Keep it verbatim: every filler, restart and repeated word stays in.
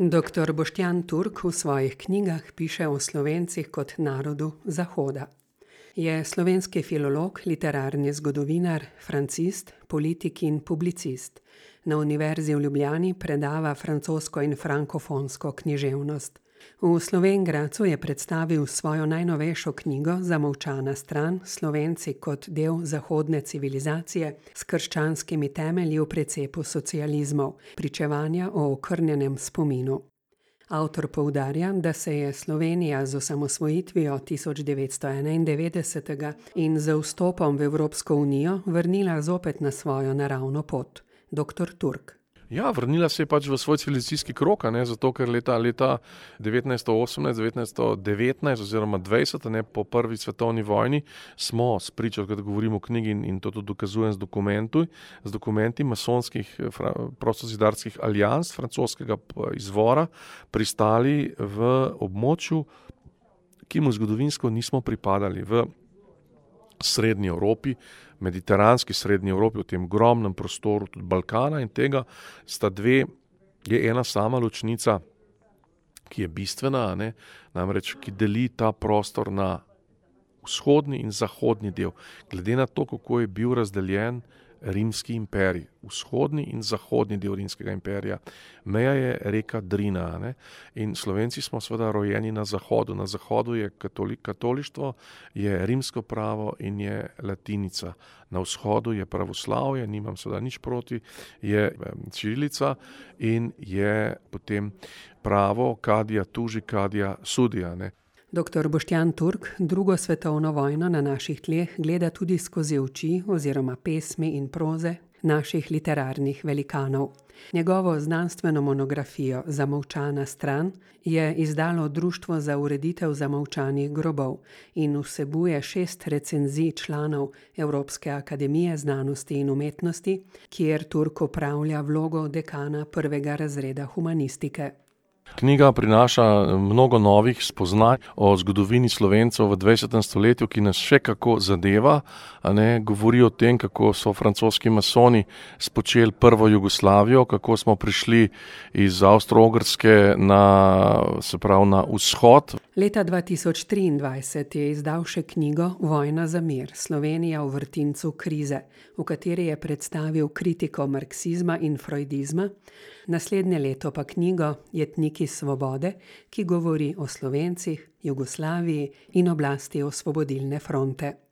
Doktor Boštjan Turk v svojih knjigah piše o Slovencih kot narodu Zahoda. Je slovenski filolog, literarni zgodovinar, francist, politik in publicist. Na Univerzi v Ljubljani predava francosko in frankofonsko književnost. V Slovenj Gradcu je predstavil svojo najnovejšo knjigo Zamolčana stran, Slovenci kot del zahodne civilizacije s krščanskimi temelji v precepu socializmov, pričevanja o okrnjenem spominu. Avtor poudarja, da se je Slovenija z osamosvojitvijo tisoč devetsto enaindevetdesetega in z vstopom v Evropsko unijo vrnila zopet na svojo naravno pot. Doktor Turk. Ja, vrnila se je pač v svoj civilizacijski krog, ne, zato ker leta, leta devetnajststo osemnajst, devetnajststo devetnajst oziroma dvajset, ne, po prvi svetovni vojni smo spričo, kad govorim o knjigi in to tudi dokazujem z dokumentu, z dokumenti masonskih prostozidarskih alijans francoskega izvora pristali v območju, ki mu zgodovinsko nismo pripadali, v Srednji Evropi, mediteranski Srednji Evropi, v tem ogromnem prostoru tudi Balkana in tega sta dve, je ena sama ločnica, ki je bistvena, ne, namreč, ki deli ta prostor na vzhodni in zahodni del. Glede na to, kako je bil razdeljen Rimski imperij, vzhodni in zahodni del Rimskega imperija. Meja je reka Drina, ne? In Slovenci smo seveda rojeni na zahodu. Na zahodu je katolik, katolištvo, je rimsko pravo in je latinica. Na vzhodu je pravoslavje, nimam seveda nič proti, je čirilica in je potem pravo kadija tuži, kadija sudija, ne? Doktor Boštjan Turk drugo svetovno vojno na naših tleh gleda tudi skozi oči oziroma pesmi in proze naših literarnih velikanov. Njegovo znanstveno monografijo Zamolčana stran je izdalo Društvo za ureditev zamolčanih grobov in vsebuje šest recenzij članov Evropske akademije znanosti in umetnosti, kjer Turk opravlja vlogo dekana prvega razreda humanistike. Knjiga prinaša mnogo novih spoznaj o zgodovini Slovencev v dvajsetem stoletju, ki nas še kako zadeva, a ne, govori o tem, kako so francoski masoni spočeli prvo Jugoslavijo, kako smo prišli iz Avstro-Ogrske na, se pravi, na vzhod. Leta dva tisoč triindvajset je izdal še knjigo Vojna za mir, Slovenija v vrtincu krize, v kateri je predstavil kritiko marksizma in freudizma, naslednje leto pa knjigo Jetniki svobode, ki govori o Slovencih, Jugoslaviji in oblasti Osvobodilne fronte.